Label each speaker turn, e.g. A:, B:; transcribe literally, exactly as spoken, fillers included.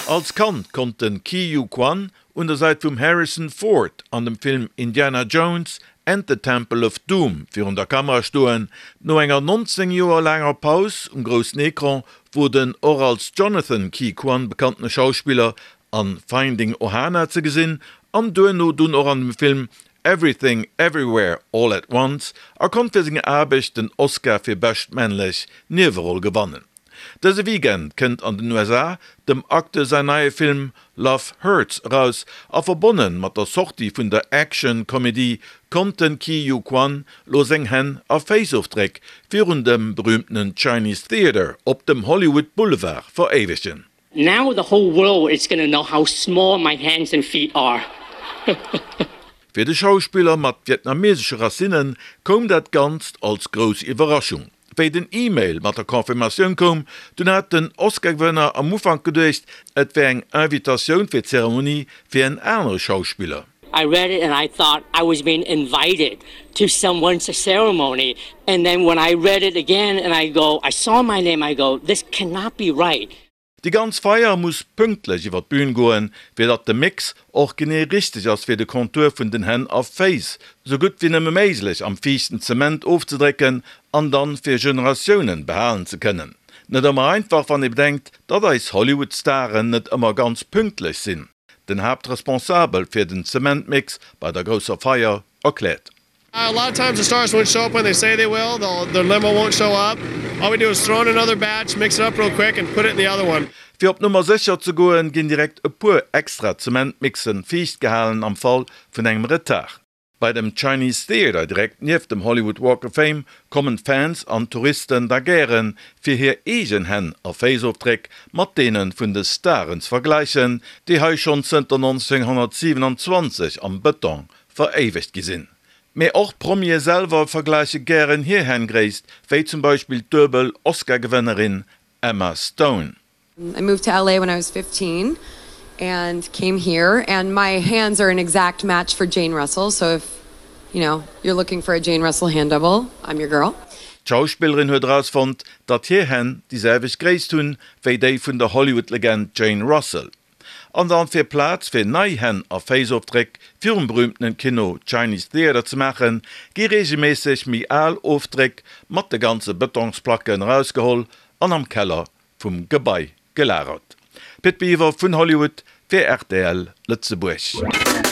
A: Als Kand konnt den Ke Huy Quan un der Säit vum Harrison Ford an dem Film Indiana Jones and the Temple of Doom virun der Kamera stoen. No enger nonzéng Joer laanger Paus um groussen Ecran wor den och als Jonathan Ke Quan bekanntene Schauspiller an Finding Ohana ze gesinn an duerno dunn och an dem Film Everything Everywhere All at Once a konnt fir seng Aarbecht den Oscar fir bescht männlech Nieweroll gewannen. Dëse Weekend kënnt an den U S A dem Acteur säin neie Film Love Hurts eraus a verbonne mat der Sortie vun der Action-Komedie konnt den Ke Huy Quan lo seng Hänn a Féissofdréck virun dem berüümtenen Chinese Theatre op dem Hollywood Boulevard veréiwegen.
B: Now the whole world is gonna know how small my hands and feet are.
A: Fir de Schauspiller mat vietnamesesche Racinnen koum dat Ganzt als grouss Iwwerraschung. Wéi den E-Mail mat der Confirmatioun koum, dunn hat den Oscar-Gewënner am Ufank geduecht, et wär eng Invitatioun fir d'Zeremonie fir en anere Schauspiller.
B: I read it and I thought I was being invited to someone's ceremony and then when I read it again and I go, I saw my name, I go, this cannot be right.
A: Déi ganz Feier muss pünktlech iwwer d'Bün goen, fir datt de Mix och genee richteg ass fir de Kontur vun den Hänn a Féiss sou gutt wéi nëmme méiglech am fiichten Zement ofzedrécken an dann fir Generatiounen behalen ze kënnen. Net ëmmer einfach, wann ee bedenkt, datt eis Hollywood-Staren net ëmmer ganz pünktlech sinn. Den Haaptresponsabel fir den Zementmix bei der grousser Feier erkläert.
C: A lot of times the stars won't show up when they say they will. They'll, their limo won't show up. All we do is throw in another batch, mix it up real quick, and put it in the other one.
A: Fir op Nummer sécher ze goen, ginn direkt e puer extra Zementmixen fiicht gehalen am Fall vun engem Retard. Bei dem Chinese Theatre direkt nieft dem Hollywood Walk of Fame kommen Fans an Touristen da gären, fir hir eegen Hänn a Féissofdréck mat deene vun de Staren ze vergläichen, déi hei schonn zënter nonzénghonnertsiwenanzwanzeg am Bëtong veréiwegt gi sinn. Mee och d'Promie selwer vergläiche gären hir Hänngréisst, wéi zum Beispill d'duebel Oscar-Gewënnerin Emma Stone.
D: I moved to L A when I was fifteen and came here, and my hands are an exact match for Jane Russell, so if you know you're looking for a Jane Russell hand double, I'm your girl.
A: D'Schauspillerin huet erausfonnt, datt hir Hänn déi selwecht Gréisst hunn, wéi déi vun der Hollywood-Legend Jane Russell. An dann fir Plaz fir nei Hänn a Féissofdréck virum berüümtenen Kino Chinese Theatre ze maachen, gi reegelméisseg méi al Ofdréck mat de ganze Bëtongsplacken erausgeholl an am Keller vum Gebai gelagert. Pit Biwer vun Hollywood fir R T L Lëtzebuerg.